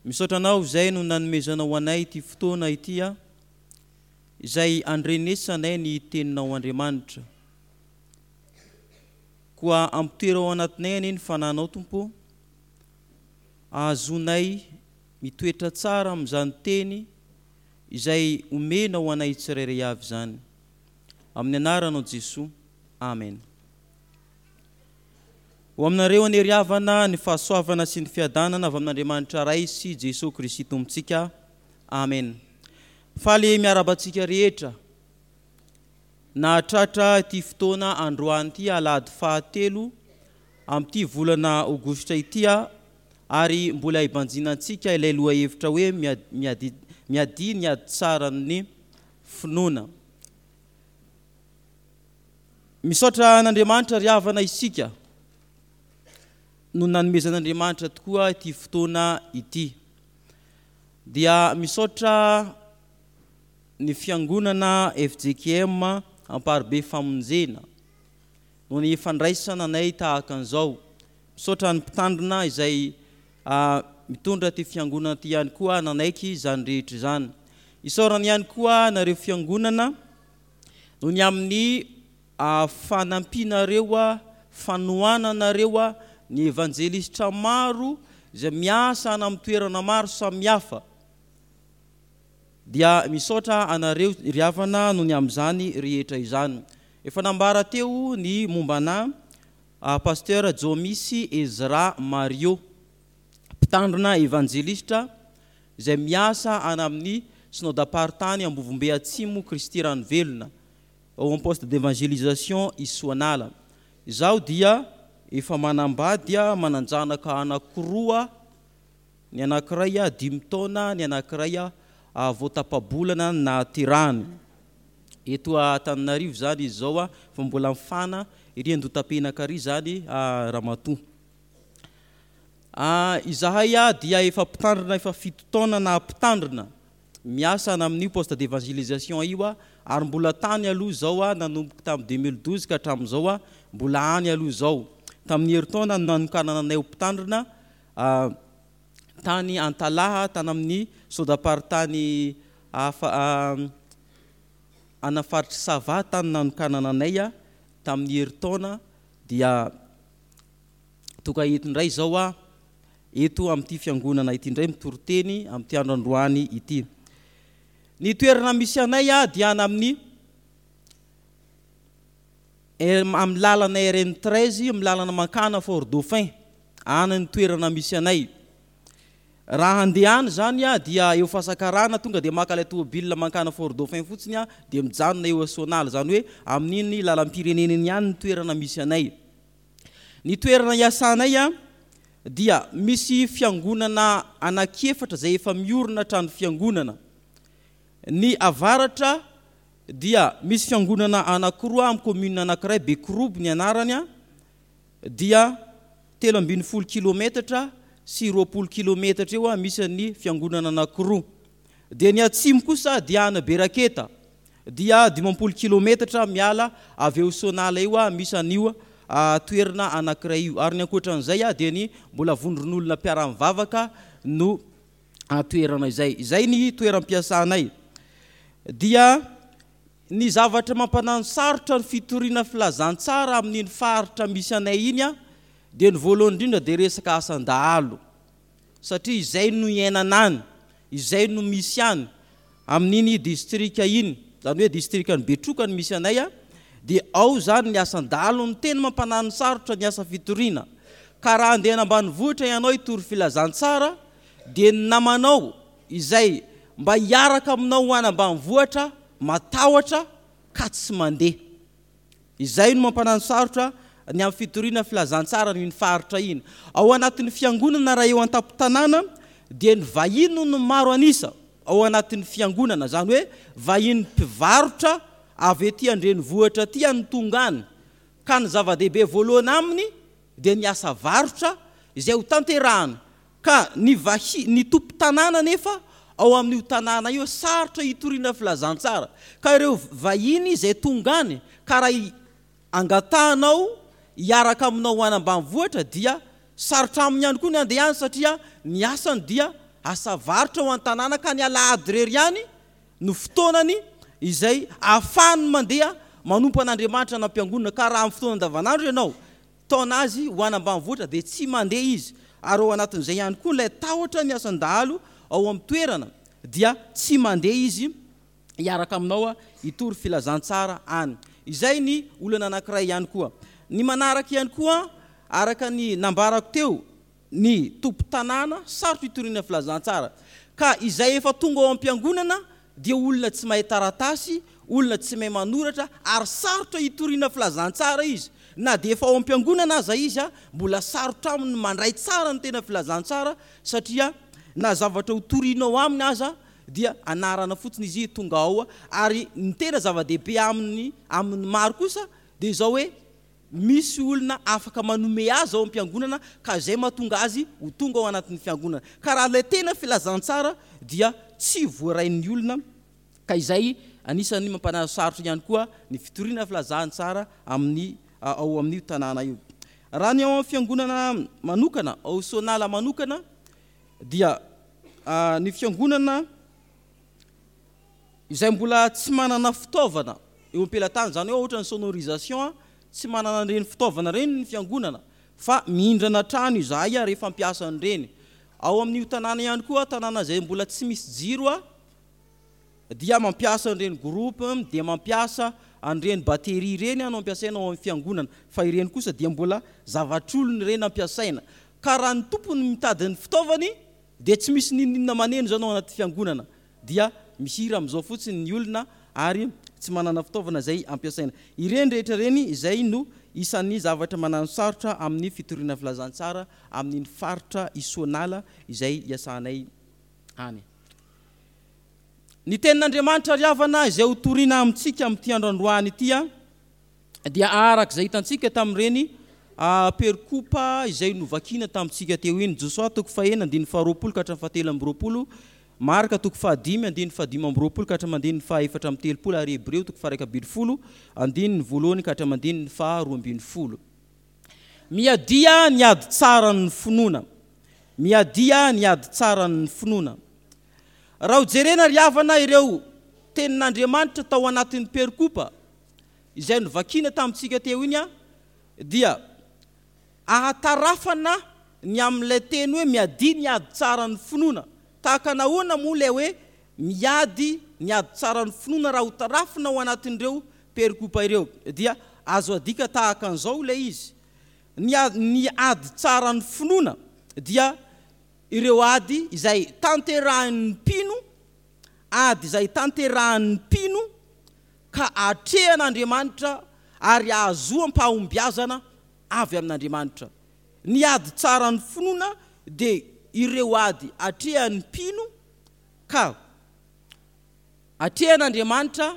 Misaotra Anao izay no nanomezanao anay ity fotoana ity izay andrenesanay ny Teninao Andriamanitra. Koa ampitoero ao anatinay anie ny Fanahinao Tompo ô, ahazoanay mitoetra tsara amin'izany Teny izay omenao anay tsirairay avy izany. Amin'ny anaranao Jesoa. Amen. Ho aminareo anie ry havana ny fahasoavana sy ny fiadanana avy amin'Andriamanitra Ray sy Jesoa Kristy Tompontsika. Amen. Faly miarahaba antsika rehetra nahatratra ity fotoana androany ity alahady fahatelo amin'ity volana aogositra ity ary mbola hibanjinantsika ilay lohahevitra hoe miady miadia ny ady tsaran'ny finoana. Misaotra an'Andriamanitra ry havana isika no nanomezan'Andriamanitra tokoa ity fotoana ity. Dia misaotra ny fiangonana fjkm Amparibe Famonjena noho ny fandraisana anay tahaka an'izao. Misaotra ny mpitandrina izay mitondra ity fiangonana ity ihany koa nanaiky izany rehetra izany. Isaorana ihany koa nareo fiangonana noho ny amin'ny fanampianareo, fanohananareo ny evanjelistra maro izay miasa any amin'ny toerana maro samihafa. Dia misaotra anareo ry havana noho ny amin'izany rehetra izany. Efa nambara teo ny momba ana Pasteur Jomisy Ezra Mario, mpitandrina evanjelistra izay miasa any amin'ny Synodamparitany Ambovombe Atsimo Kristy Ranovelona, ao amin'ny Poste d'Evangelisation Isoanala. Izaho dia efa manambady, manan-janaka anankiroa, ny anankiray dimy taona, ny anankiray vao tapa-bolana ny nahaterahany. Eto Antananarivo izany izy izao fa mbola mifana ery Andohatapenaka ery izany ramatoa. Izahay dia efa mpitandrina efa fito taona na mpitandrina miasa any amin'io poste d'evangelisation io ary mbola tany aloha izao nanomboka tamin'ny 2012 ka hatramin'izao mbola any aloha izao. Tamin'ny herintaona no nanokanana anay ho mpitandrina tany Antalaha tany amin'ny sodam-paritany hafa any faritr'i Sava tany nanokanana anay tamin'ny herintaona dia Tonga eto indray izao aho, eto amin'ity fiangonana ity indray mitory teny amin'ity andro androany ity. Ny toerana misy anay dia any amin'ny amin'ny lalana RN 13, amin'ny lalana mankana Fort Dauphin. Any ny toerana misy anay. Raha handeha any izany dia eo Fasakarana tonga dia maka ilay tomobilina mankana Fort Dauphin fotsiny dia mijanona eo Soanala. Izany hoe amin'iny lalam-pirenena iny ihany ny toerana misy anay. Ny toerana iasanay dia misy fiangonana anankiefatra izay efa miorina trano fiangonana. Ny avaratra dia misy fiangonana anankiroa amin'ny commune anankiray, Bekorobo ny anarany, dia 13 kilometatra sy 20 kilometatra eo misy ny fiangonana anankiroa. Dia ny atsimo kosa dia any Beraketa. dia 50 kilometatra miala avy eo Sonala io misy an'io toerana anankiray io. Ary ny ankoatran'izay dia ny mbola vondron'olona mpiara-mivavaka no toerana izay. Izay ny toeram-piasanay. Dia ny zavatra mampanano sarotra ny fitoriana filazantsara amin'iny faritra misy anay iny dia ny voalohany indrindra dia resaka asan-dahalo. Satria izay no iainana any, izay no misy any. Amin'iny distrika iny, izany hoe distrikan'i Betroka no misy anay, dia ao izany ny asan-dahalo no tena mampanano sarotra ny asa fitoriana. Ka raha handeha any ambanivohitra ianao hitory filazantsara, dia ny namanao izay mba hiaraka aminao ho any ambanivohitra matahotra ka tsy mandeha. Izay no mampanano sarotra ny amin'ny fitoriana filazantsara an'iny faritra iny. Ao anatin'ny fiangonana raha eo an-tampon-tanàna dia ny vahiny no maro an'isa ao anatin'ny fiangonana, izany hoe vahiny mpivarotra avy ety an-drenivohitra aty no tonga any ka ny zava-dehibe voalohany aminy dia ny asa varotra izay ho tanterahana Ka ny vahi, ny tompon-tanàna anefa ao amin'io tanàna io sarotra hitoriana filazantsara. Ka ireo vahiny izay tonga any ka raha angatahanao hiaraka aminao ho any ambanivohitra dia sarotra aminy ihany koa ny handeha any satria ny asany dia asa varotra ao an-tanàna ka ny alahady irery ihany no fotoanany izay ahafahany mandeha manompo an'Andriamanitra any am-piangonana ka raha amin'ny fotoana andavanandro ianao taona azy ho any ambanivohitra dia tsy mandeha izy ary ao anatin'izay ihany koa ilay tahotra ny asan-dahalo ao amin'ny toerana dia tsy mandeha izy hiaraka aminao hitory filazantsara any. Izay ny olana anankiray ihany koa. Ny manaraka ihany koa araka ny nambarako teo ny tompon-tanàna sarotra itoriana filazantsara ka izay efa tonga ao am-piangonana dia olona tsy mahay taratasy, olona tsy mahay manoratra ary sarotra itoriana filazantsara izy. Na dia efa ao am-piangonana aza izy mbola sarotra aminy ny mandray tsara ny tena filazantsara satria na zavatra ho torianao aminy aza dia anarana fotsiny izy tonga ao ary ny tena zava-dehibe aminy amin'ny maro kosa dia izao hoe misy olona afaka manome azy ao am-piangonana ka izay mahatonga azy ho tonga ao anatin'ny fiangonana. Ka raha ilay tena filazantsara dia tsy voarain'ny olona ka izay anisan'ny mampanasarotra ihany koa ny fitoriana filazantsara amin'ny ao amin'io tanàna io. Raha ny ao amin'ny fiangonana manokana, ao Sonala manokana dia ny fiangonana izay mbola tsy manana fitaovana eo am-pelatanana, izany hoe ohatra ny sonorisation, tsy manana an'ireny fitaovana ireny ny fiangonana fa mihindrana trano izahay rehefa hampiasa an'ireny. Ao amin'io tanàna ihany koa, tanàna izay mbola tsy misy jiro, dia mampiasa an'ireny groupe, dia mampiasa an'ireny batterie ireny no ampiasaina ao amin'ny fiangonana, fa ireny kosa dia mbola zavatr'olona ireny ampiasaina. Ka raha ny tompony mitady ny fitaovany dia tsy misy n'inon'inona maneno izany ao anaty fiangonana, dia mihira amin'izao fotsiny ny olona ary tsy manana fitaovana izay ampiasaina. Ireny rehetra ireny izay no isan'ny zavatra mananosarotra amin'ny fitoriana filazantsara amin'iny faritra Isoanala izay iasanay any. Ny tenin'Andriamanitra ry havana izay ho torina amintsika amin'ity andro androany ity dia araka izay hitantsika tamin'ireny perikopa izay novakiana tamintsika teo iny, Josoa toko fahenina andininy faharoapolo ka hatramin'ny fahatelo amby roapolo, Marka toko fahadimy andininy fahadimy amby roapolo ka hatramin'ny andininy fahaefatra amby telopolo ary Hebreo toko faha-iraika ambin'ny folo andininy voalohany ka hatramin'ny andininy faharoa ambin'ny folo. Miadia ny ady tsaran'ny finoana. Miadia ny ady tsaran'ny finoana. Raha ho jerena ry havana ireo tenin'Andriamanitra tao anatin'ny perikopa izay novakiana tamintsika teo iny dia ahatarafana ny amin'ilay teny hoe miadia ny ady tsaran'ny finoana. Tahaka nahoana moa ilay hoe miady ny ady tsaran'ny finoana raha ho tarafina ao anatin'ireo perikopa ireo? Dia azo adika tahaka an'izao ilay izy, Ny ny ady tsaran'ny finoana dia ireo ady izay tanterahin'ny mpino, ady izay tanterahin'ny mpino ka atrehan'Andriamanitra ary ahazoam-pahombiazana avy amin'Andriamanitra. Ny ady tsaran'ny finoana dia ireo ady atrehan'ny mpino ka atrehan'Andriamanitra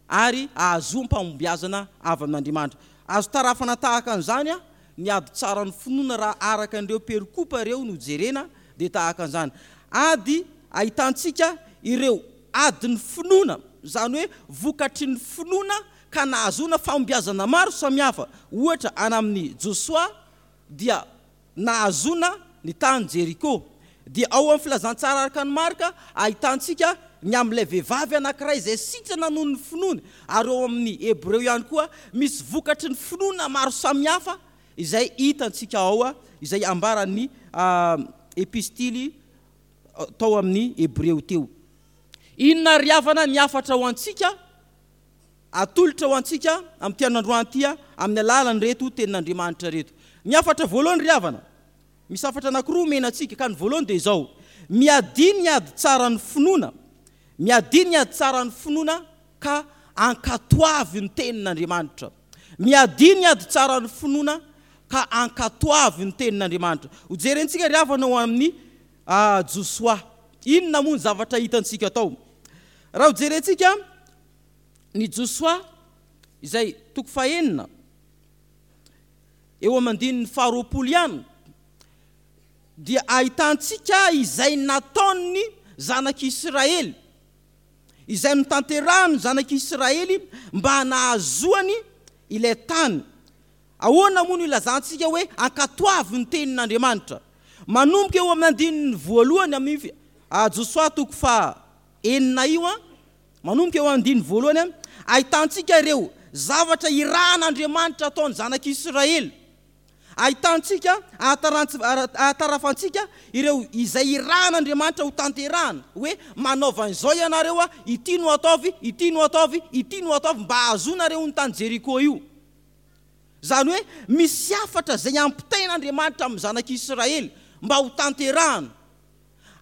ary ahazoam-pahombiazana avy amin'Andriamanitra. Azo tarafana tahaka an'izany ny ady tsaran'ny finoana raha araka an'ireo perikopa ireo no jerena dia tahaka an'izany. Ady ahitantsika ireo adin'ny finoana, izany hoe vokatry ny finoana ka nahazoana fahombiazana maro samihafa. Ohatra, any amin'i Josoa dia nahazoana ny tany Jeriko. Dia ao amin'ny Filazantsara araka an'i Marka, ahitantsika ny amin'ilay vehivavy anankiray izay sitrana noho ny finoany, ary ao amin'ny Hebreo ihany koa misy vokatry ny finoana maro samihafa izay hitantsika ao, izay ambaran'ny epistily tao amin'ny Hebreo teo. Inona ry havana ny hafatra ho antsika? Atolotra ho antsika amin'ity andro androany ity amin'ny alalan'ireto tenin'Andriamanitra ireto. Ny hafatra voalohany ry havana, misy hafatra anankiroa omena antsika, ka ny voalohany dia izao, Miadia ny ady tsaran'ny finoana, miadia ny ady tsaran'ny finoana ka ankatoavy ny tenin'Andriamanitra. Miadia ny ady tsaran'ny finoana ka ankatoavy ny tenin'Andriamanitra. Hojerentsika ry havana ao amin'ny Josoa. Inona moa ny zavatra hitantsika tao? Raha hojerentsika ny Josoa izay toko fahenina eo amin'ny andininy faharoapolo ihany dia ahitantsika izay nataon'ny zanak'Israely, izay notanterahan'ny zanak'Israely mba nahazoany ilay tany. Ahoana moa no ilazantsika hoe ankatoavy ny tenin'Andriamanitra? Manomboka eo amin'ny andininy voalohany amin'ny Josoa toko faha enina io, manomboka eo andininy voalohany, ahitantsika ireo zavatra irahan'Andriamanitra ataon'ny zanak'Israely. Ahitantsika, ahatarafantsika ireo izay irahan'Andriamanitra ho tanterahana, hoe manaova an'izao ianareo, ity no ataovy, ity no ataovy, ity no ataovy mba hahazoanareo ny tany Jeriko io. Izany hoe misy hafatra izay ampitain'Andriamanitra amin'ny zanak'Israely mba ho tanterahana.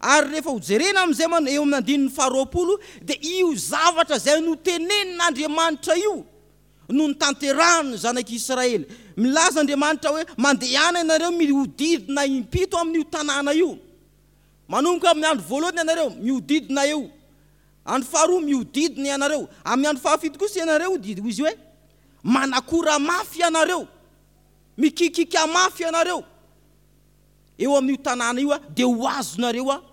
Ary rehefa ho jerena amin'izay man eo amin'ny andininy faharoapolo dia io zavatra izay notenenin'Andriamanitra io no notanterahan'ny zanak'Israely. Milaza Andriamanitra hoe mandehana ianareo mihodidina impito amin'io tanàna io. Manomboka amin'ny andro voalohany ianareo mihodidina eo. Andro faharoa mihodidina ianareo. Amin'ny andro fahafito kosa ianareo dia hoy izy hoe manakora mafy ianareo. Mikikika mafy ianareo. Eo amin'io tanàna io dia ho azonareo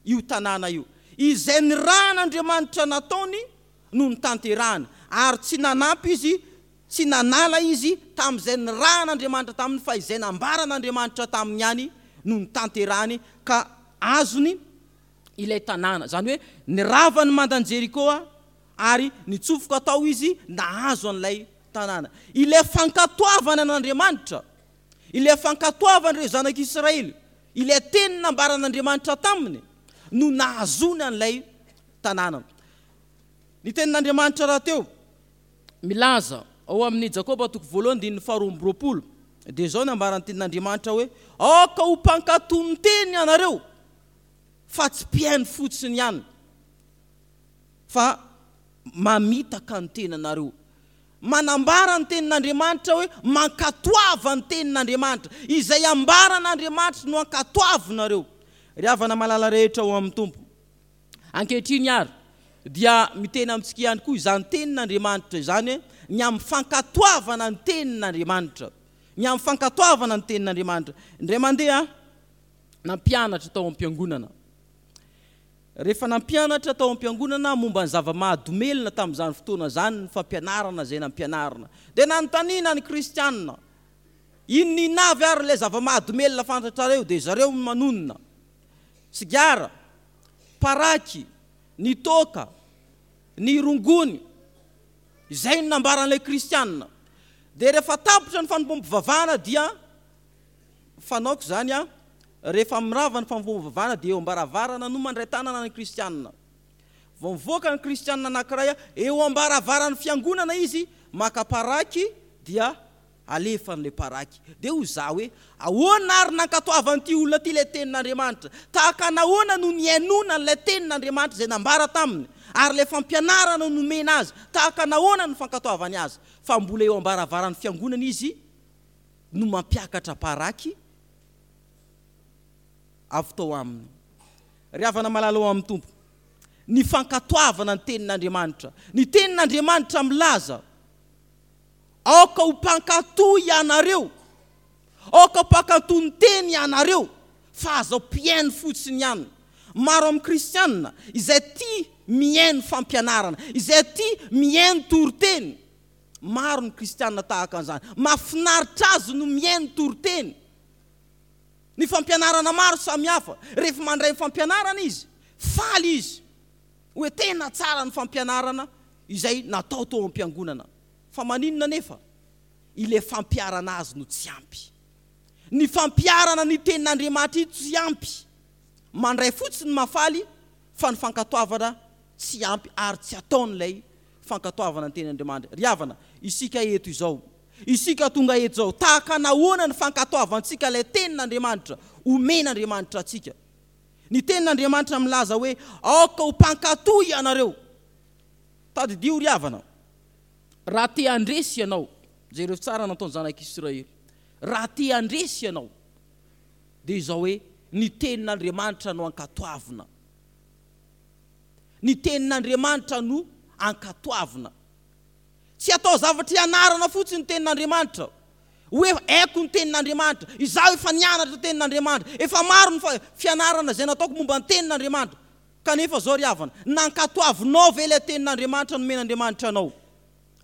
io tanàna io. Izay nirahan'Andriamanitra nataony no notanterahany, ary tsy nanampy izy, tsy nanala izy tamin'izay nirahan'Andriamanitra taminy, fa izay nambaran'Andriamanitra taminy ihany no notanterahany, ka azony ilay tanàna. Izany hoe nirava ny mandan'i Jeriko ary nitsofoka tao izy nahazo an'ilay tanàna. Ilay fankatoavana an'Andriamanitra. Ilay fankatoavan'ireo zanak'Israely, ilay teny nambaran'Andriamanitra taminy, no nahazoany an'ilay tanàna. Ny tenin'Andriamanitra rahateo milaza ao amin'ny Jakoba toko voalohany andininy faharoa amby 20, dia izao no ambaran'ny tenin'Andriamanitra hoe, Aoka ho mpankatò ny teny ianareo, fa tsy mpihaino fotsiny ihany, fa mamitaka ny tenanareo. Manambara ny Tenin'Andriamanitra hoe mankatoava ny Tenin'Andriamanitra. Izay ambaran'Andriamanitra no ankatoavinareo. Ry havana malala rehetra ao amin'ny Tompo. Ankehitriny ary dia miteny amintsika ihany koa izany Tenin'Andriamanitra izany hoe ny amin'ny fankatoavana ny Tenin'Andriamanitra. Ny amin'ny fankatoavana ny Tenin'Andriamanitra. Indray mandeha nampianatra tao am-piangonana. Rehefa nampianatra tao am-piangonana momba ny zava-mahadomelina tamin'izany fotoana izany ny fampianarana izay nampianarina, dia nanontaniana ny Kristianina, Inona inona avy ary ilay zava-mahadomelina fantatrareo? Dia zareo no manonona, sigara, paraky, ny toaka, ny rongony. Izay no nambaran'ilay Kristianina. Dia rehefa tapitra ny fanompoam-pivavahana dia Fanaoko izany an, rehefa mirava ny fanompoam-pivavahana dia eo am-baravarana no mandray tanana ny kristianina. Vao mivoaka ny kristianina anankiray eo am-baravaran'ny fiangonana izy maka paraky dia alefany ilay paraky. Dia hoy za hoe, ahoana ary nankatoavan'ity olona ity ilay tenin'Andriamanitra? Tahaka nahoana no nihainoana an'ilay tenin'Andriamanitra izay nambara taminy ary ilay fampianarana nomena azy? Tahaka nahoana no fankatoavany azy? Fa mbola eo am-baravaran'ny fiangonana izy no mampiakatra paraky avy tao aminy. Ry havana malala ao amin'ny Tompo, ny fankatoavana ny Tenin'Andriamanitra. Ny Tenin'Andriamanitra milaza, Aoka ho mpankatò ianareo, aoka ho mpankatò ny Teny ianareo, fa aza mpihaino fotsiny ihany. Maro amin'ny Kristianina izay tia mihaino fampianarana, izay tia mihaino toriteny, Maro ny kristiana tahaka an'izany. Mahafinaritra azy no mihaino toriteny. Ny fampianarana maro samihafa. Rehefa mandray ny fampianarana izy, faly izy hoe tena tsara ny fampianarana izay natao tao am-piangonana. Fa maninona anefa? Ilay fampiharana azy no tsy ampy. Ny fampiharana ny tenin'Andriamanitra io tsy ampy. Mandray fotsiny mahafaly fa ny fankatoavana tsy ampy ary tsy ataon'ilay fankatoavana ny teny Andriamanitra. Ry havana, isika eto izao, isika tonga eto izao, tahaka nahoana ny fankatoavantsika ilay tenin'Andriamanitra omen'Andriamanitra antsika? Ny tenin'Andriamanitra milaza hoe, Aoka ho mpankatò ianareo. Tadidio ry havana, raha te handresy ianao, jereo tsara nataon'ny zanak'Israely, raha te handresy ianao, dia izao hoe, ny tenin'Andriamanitra no ankatoavina. Ny tenin'Andriamanitra no ankatoavina. Tsy atao zavatra ianarana fotsiny ny tenin'Andriamanitra. Hoe haiko ny tenin'Andriamanitra, izaho efa nianatra tenin'Andriamanitra, efa maro ny fianarana izay nataoko momba ny tenin'Andriamanitra. Kanefa izao ry havana, nankatoavinao ve ilay tenin'Andriamanitra nomen'Andriamanitra anao?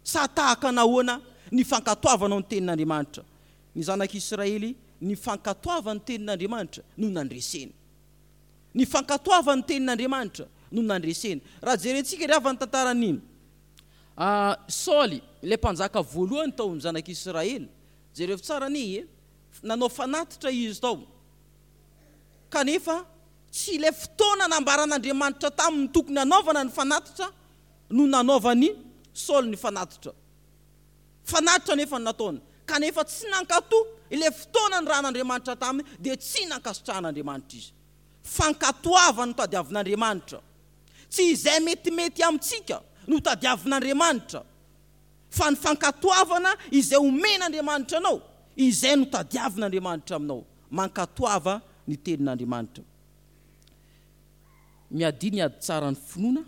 Sa tahaka nahoana ny fankatoavanao ny tenin'Andriamanitra? Ny zanak'Israely, ny fankatoavany ny tenin'Andriamanitra no nandreseny. Ny fankatoavany ny tenin'Andriamanitra no nandreseny. Raha jerentsika ry havana ny tantaran'i Saoly, ilay mpanjaka voalohany tao amin'ny zanak'Israely, jerevo tsara anie e, nanao fanatitra izy tao, kanefa tsy ilay fotoana nambaran'Andriamanitra taminy tokony hanaovana ny fanatitra no nanaovan'i Saoly ny fanatitra. Fanatitra anefa no nataony, kanefa tsy nankatò ilay fotoana nirahan'Andriamanitra taminy, dia tsy nankasitrahan'Andriamanitra izy. Fankatoavana no tadiavin'Andriamanitra. Tsy izay metimety amintsika no tadiavin'Andriamanitra, fa ny fankatoavana izay omen'Andriamanitra anao, izay no tadiavin'Andriamanitra aminao. Mankatoava ny tenin'Andriamanitra. Miadia ny ady tsaran'ny finoana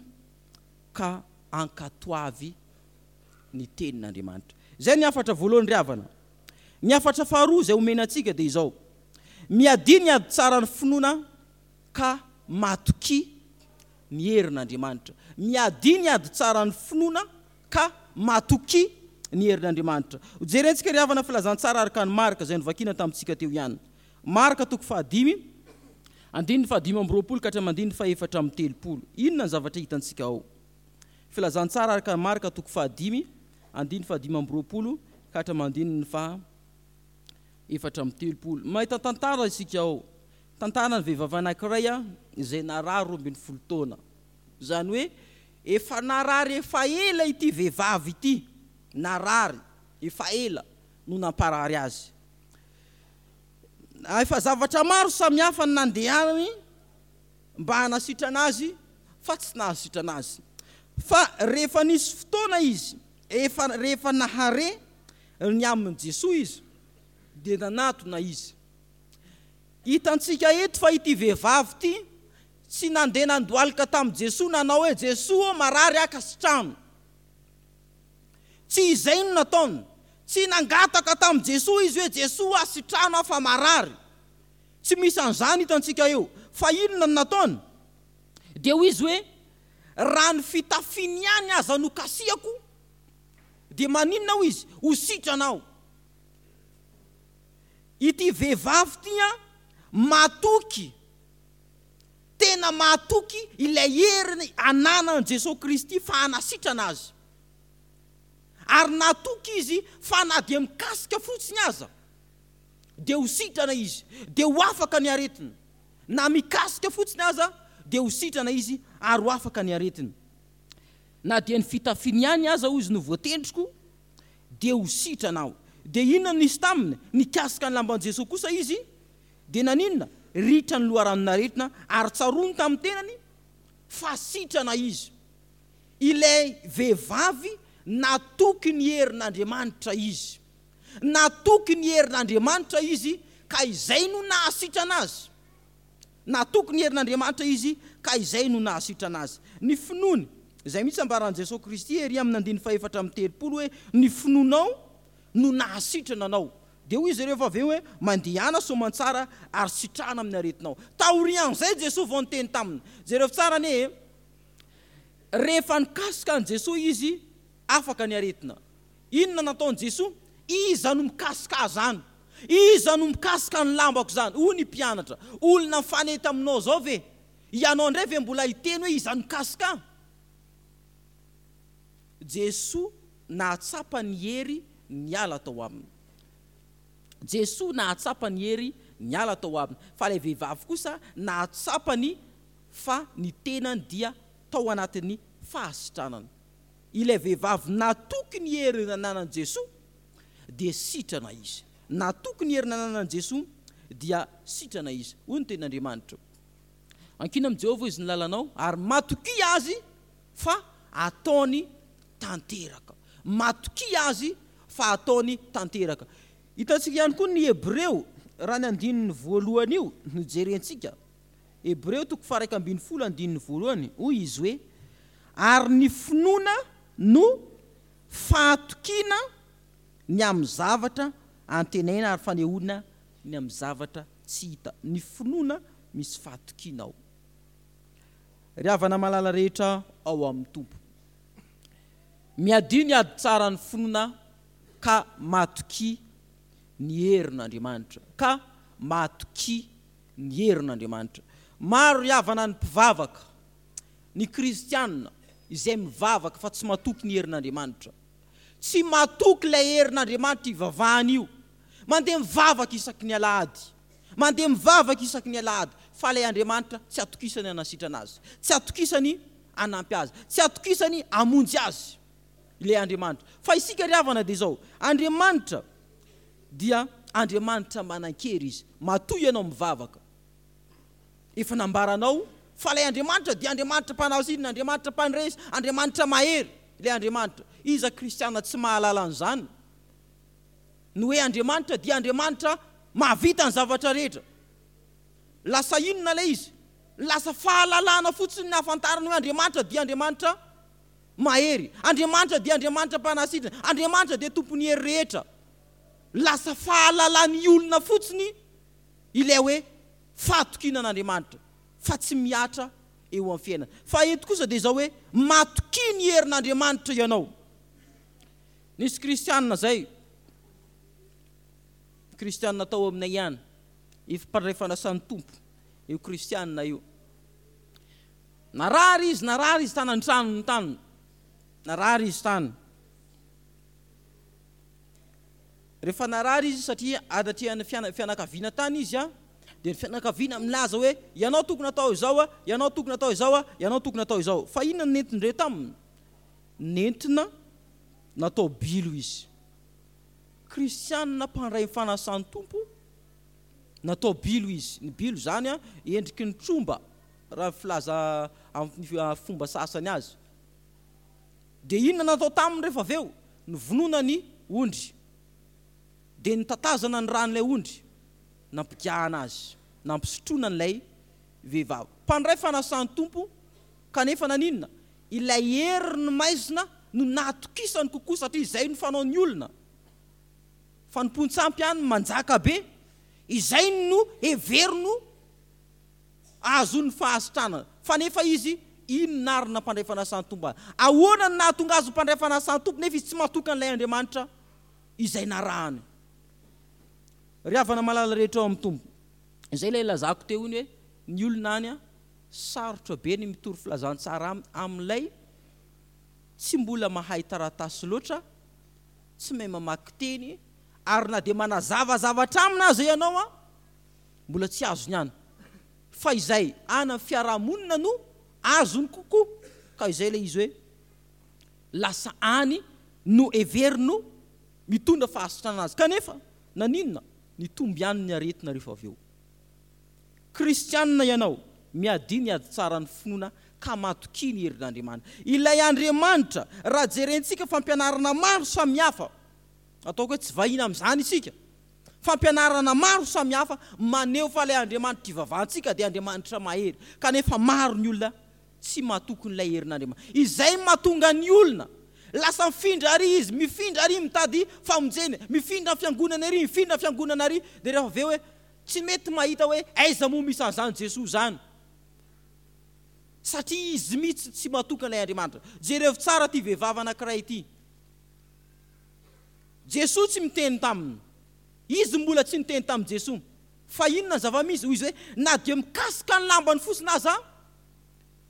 ka ankatoavy ny tenin'Andriamanitra. Izay ny hafatra voalohany ry havana. Ny hafatra faharoa izay omena antsika dia izao, Miadia ny ady tsaran'ny finoana ka matokia ny herin'Andriamanitra. Miadia ny ady tsaran'ny finoana ka matokia ny herin'Andriamanitra. Hojerentsika ry havana filazantsara araka an'i Marka izay novakiana tamintsika teo ihany. Marka toko fahadimy, andininy fahadimy amby 20 ka hatramin'ny andininy fahefatra amby 30. Inona ny zavatra hitantsika ao? Filazantsara araka an'i Marka toko fahadimy, andininy fahadimy amby 20 ka hatramin'ny andininy faha 34. Mahita tantara isika ao. Tantaran'ny vehivavy anankiray izay narary 12 taona. Izany hoe efa narary efa ela ity vehivavy ity. Narary efa ela no namparary azy. Efa zavatra maro samihafa no nandehanany mba hanasitrana azy fa tsy nahasitrana azy. Fa rehefa nisy fotoana izy, efa rehefa nahare ny amin'i Jesoa izy dia nanatona izy. Hitantsika eto fa ity vehivavy ity tsy nandeha nandohalika tamin'i Jesoa nanao hoe, Jesoa ô marary aho ka sitrano. Tsy izay no nataony. Tsy nangataka tamin'i Jesoa izy hoe, Jesoa a sitrano aho fa marary. Tsy misy an'izany hitantsika eo. Fa inona no nataony? Dia hoy izy hoe, Raha ny fitafiany ihany aza no kasihako, dia maninona hoy izy? Ho sitrana aho. Ity vehivavy ity an, matoky, tena matoky ilay hery ananan'i Jesoa Kristy fa hanasitrana azy. Ary natoky izy fa na dia mikasika fotsiny aza dia ho sitrana izy, dia ho afaka ny aretiny. Na mikasika fotsiny aza dia ho sitrana izy ary ho afaka ny aretiny. Na dia ny fitafiany ihany aza hoy izy no voatendriko dia ho sitrana aho. Dia inona no nisy taminy? Nikasika ny lamban'i Jesoa kosa izy, dia naninona? Ritra ny loharanon'aretina ary tsaroany tamin'ny tenany fa sitrana izy. Ilay vehivavy natoky ny herin'Andriamanitra izy. Natoky ny herin'Andriamanitra izy ka izay no nahasitrana azy. Natoky ny herin'Andriamanitra izy ka izay no nahasitrana azy. Ny finoany, izay mihitsy ambaran'i Jesoa Kristy ery amin'ny andininy fahefatra amby 30 hoe, Ny finoanao no nahasitrana anao. Dia hoy izy ireo rehefa avy eo hoe, Mandehana soamantsara ary sitrana amin'ny aretinao. Taorian'izay Jesoa vao niteny taminy. Jereo tsara anie e! Rehefa nikasika an'i Jesoa izy, afaka ny aretina. Inona nataon'i Jesoa? Iza no mikasika ahy izany? Iza no mikasika ny lambako izany? Hoy ny mpianatra, Olona mifanety aminao izao ve? Ianao indray ve mbola hiteny hoe iza no mikasika ahy? Jesoa nahatsapa ny hery niala tao aminy. Jesoa nahatsapa ny hery niala tao aminy, fa ilay vehivavy kosa nahatsapa ny fa ny tenany dia tao anatin'ny fahasitranana. Ilay vehivavy natoky ny hery nananan'i Jesoa dia sitrana izy. Natoky ny hery nananan'i Jesoa dia sitrana izy. Hoy ny tenin'Andriamanitra, Ankino amin'i Jehovah izy ny lalanao, ary matokia Azy fa hataony tanteraka. Matokia Azy fa hataony tanteraka. Hitantsika ihany koa ny Hebreo, raha ny andininy voalohany io no jerentsika. Hebreo toko faha-11 andininy voalohany, hoy izy hoe, Ary ny finoana no fahatokiana ny amin'ny zavatra antenaina ary fanehoana ny amin'ny zavatra tsy hita. Ny finoana misy fahatokiana ao. Ry havana malala rehetra ao amin'ny Tompo, miadio ny ady tsaran'ny finoana ka matokia ny herin'Andriamanitra, ka matokia ny herin'Andriamanitra. Maro ry havana ny mpivavaka, ny kristiana izay mivavaka fa tsy matoky ny herin'Andriamanitra. Tsy matoky ilay herin'Andriamanitra ivavahany io. Mandeha mivavaka isaky ny alahady. Mandeha mivavaka isaky ny alahady fa ilay Andriamanitra tsy atokisany hanasitrana azy. Tsy atokisany hanampy azy. Tsy atokisany hamonjy azy ilay Andriamanitra. Fa isika ry havana dia izao, Andriamanitra dia Andriamanitra manan-kery Izy. Matoa ianao mivavaka. Efa nambaranao fa ilay Andriamanitra dia Andriamanitra mpanao inona, Andriamanitra mpandresy, Andriamanitra mahery ilay Andriamanitra. Iza kristiana tsy mahalala an'izany? Ny hoe Andriamanitra dia Andriamanitra mahavita ny zavatra rehetra. Lasa inona ilay izy? Lasa fahalalana fotsiny ny ahafantarana hoe Andriamanitra dia Andriamanitra mahery. Andriamanitra dia Andriamanitra mpanasitrana. Andriamanitra dia tompon'ny hery rehetra. Lasa fahalalan'ny olona fotsiny ilay hoe fahatokiana an'Andriamanitra fa tsy mihatra eo amin'ny fiainana. Fa eto kosa dia izao hoe matokia ny herin'Andriamanitra ianao. Nisy kristianina izay, kristianina tao aminay ihany, efa mpandray fanasan'ny Tompo io kristianina io. Narary izy, narary izy tany an-tranony tany. Narary izy tany. Rehefa narary izy satria anatrehan'ny fianakaviana tany izy dia ny fianakaviana milaza hoe ianao tokony atao izao, ianao tokony atao izao, ianao tokony atao izao. Fa inona no nentin-dreo taminy? Nentina natao bilo izy. Kristianina mpandray ny fanasan'ny Tompo, natao bilo izy. Ny bilo izany endriky ny tromba raha ny filaza amin'ny fomba sasany azy. Dia inona natao taminy rehefa avy eo? Novonoina ny ondry. Dia notatazana ny ran'ilay ondry, nampigahana azy, nampisotroina an'ilay vehivavy. Mpandray fanasan'ny Tompo, kanefa naninona? Ilay herin'ny maizina no natokisany kokoa satria izay no fanaon'ny olona. Fanompoan-tsampy any manjaka be, izay no heveriny ahazoany fahasitranana. Fa nefa izy, inona ary nampandray fanasan'ny Tompo azy? Ahoana no nahatonga azy ho mpandray fanasan'ny Tompo nefa izy tsy matoky an'ilay Andriamanitra izay narahany? Ry havana malala rehetra ao amin'ny Tompo, izay ilay lazako teo iny hoe ny olona any sarotra be ny mitory filazantsara aminy amin'ilay tsy mbola mahay taratasy loatra, tsy mahay mamaky teny, ary na dia manazava zavatra aminy aza ianao an, mbola tsy azony ihany fa izay any amin'ny fiarahamonina no azony kokoa ka izay ilay izy hoe lasa any no heveriny mitondra fahasitranana azy kanefa naninona nitombo ihany ny aretina rehefa avy eo. Kristianina ianao, miadia ny ady tsaran'ny finoana ka matokia ny herin'Andriamanitra. Ilay Andriamanitra, raha jerentsika fampianarana maro samihafa, Ataoko hoe tsy vahiny amin'izany isika. Fampianarana maro samihafa maneho fa ilay Andriamanitra ivavahantsika dia Andriamanitra mahery. Kanefa maro ny olona tsy matoky an'ilay herin'Andriamanitra. Izay no mahatonga ny olona lasa mifindra ary izy, mifindra ary mitady famonjena, mifindra fiangonana ery, mifindra fiangonana ary, dia rehefa avy eo hoe tsy mety mahita hoe aiza moa misy an'izany Jesoa izany. Satria izy mihitsy tsy matoky an'ilay Andriamanitra. Jerevo tsara ity vehivavy anankiray ity. Jesoa tsy miteny taminy. Izy mbola tsy niteny tamin'i Jesoa. Fa inona ny zava-misy? Hoy izy hoe, na dia mikasika ny lambany fotsiny aza aho,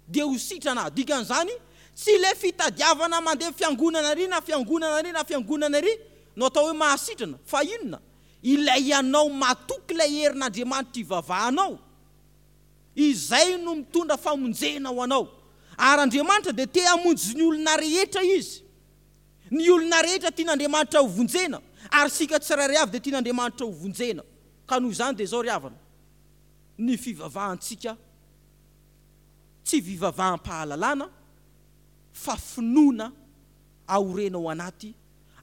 dia ho sitrana aho. Dikan'izany, tsy ilay fitadiavana mandeha fiangonana ary na fiangonana ary na fiangonana ary no atao hoe mahasitrana. Fa inona? Ilay ianao matoky ilay herin'Andriamanitra ivavahanao. Izay no mitondra famonjena ho anao. Ary Andriamanitra dia te hamonjy ny olona rehetra Izy. Ny olona rehetra tian'Andriamanitra ho vonjena, ary isika tsirairay avy dia tian'Andriamanitra ho vonjena. Ka noho izany dia izao ry havana, ny fivavahantsika tsy fivavaham-pahalalana fa finoana aorena ao anaty,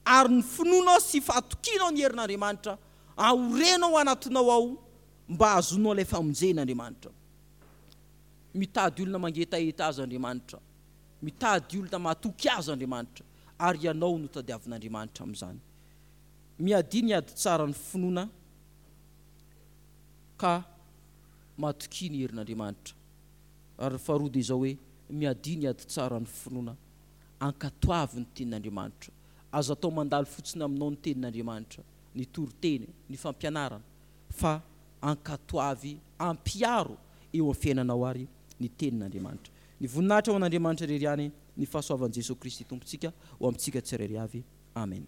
ary ny finoanao sy fahatokianao ny herin'Andriamanitra aorena ao anatinao ao mba hahazoanao ilay famonjena Andriamanitra. Mitady olona mangetaheta Azy Andriamanitra. Mitady olona matoky Azy Andriamanitra, ary ianao no tadiavin'Andriamanitra amin'izany. Miadia ny ady tsara ny finoana ka matokia ny herin'Andriamanitra. Ary ny faharoa dia izao hoe, miadia ny ady tsara ny finoana, ankatoavy ny tenin'Andriamanitra. Aza atao mandalo fotsiny aminao ny tenin'Andriamanitra, ny toriteny, ny fampianarana, fa ankatoavy, ampiharo. eo amin'ny fiainanao ary ny tenin'Andriamanitra. Ny voninahitra ho an'Andriamanitra irery ihany, ny fahasoavan'i Jesoa Kristy Tompontsika ho amintsika tsirairay avy. Amen.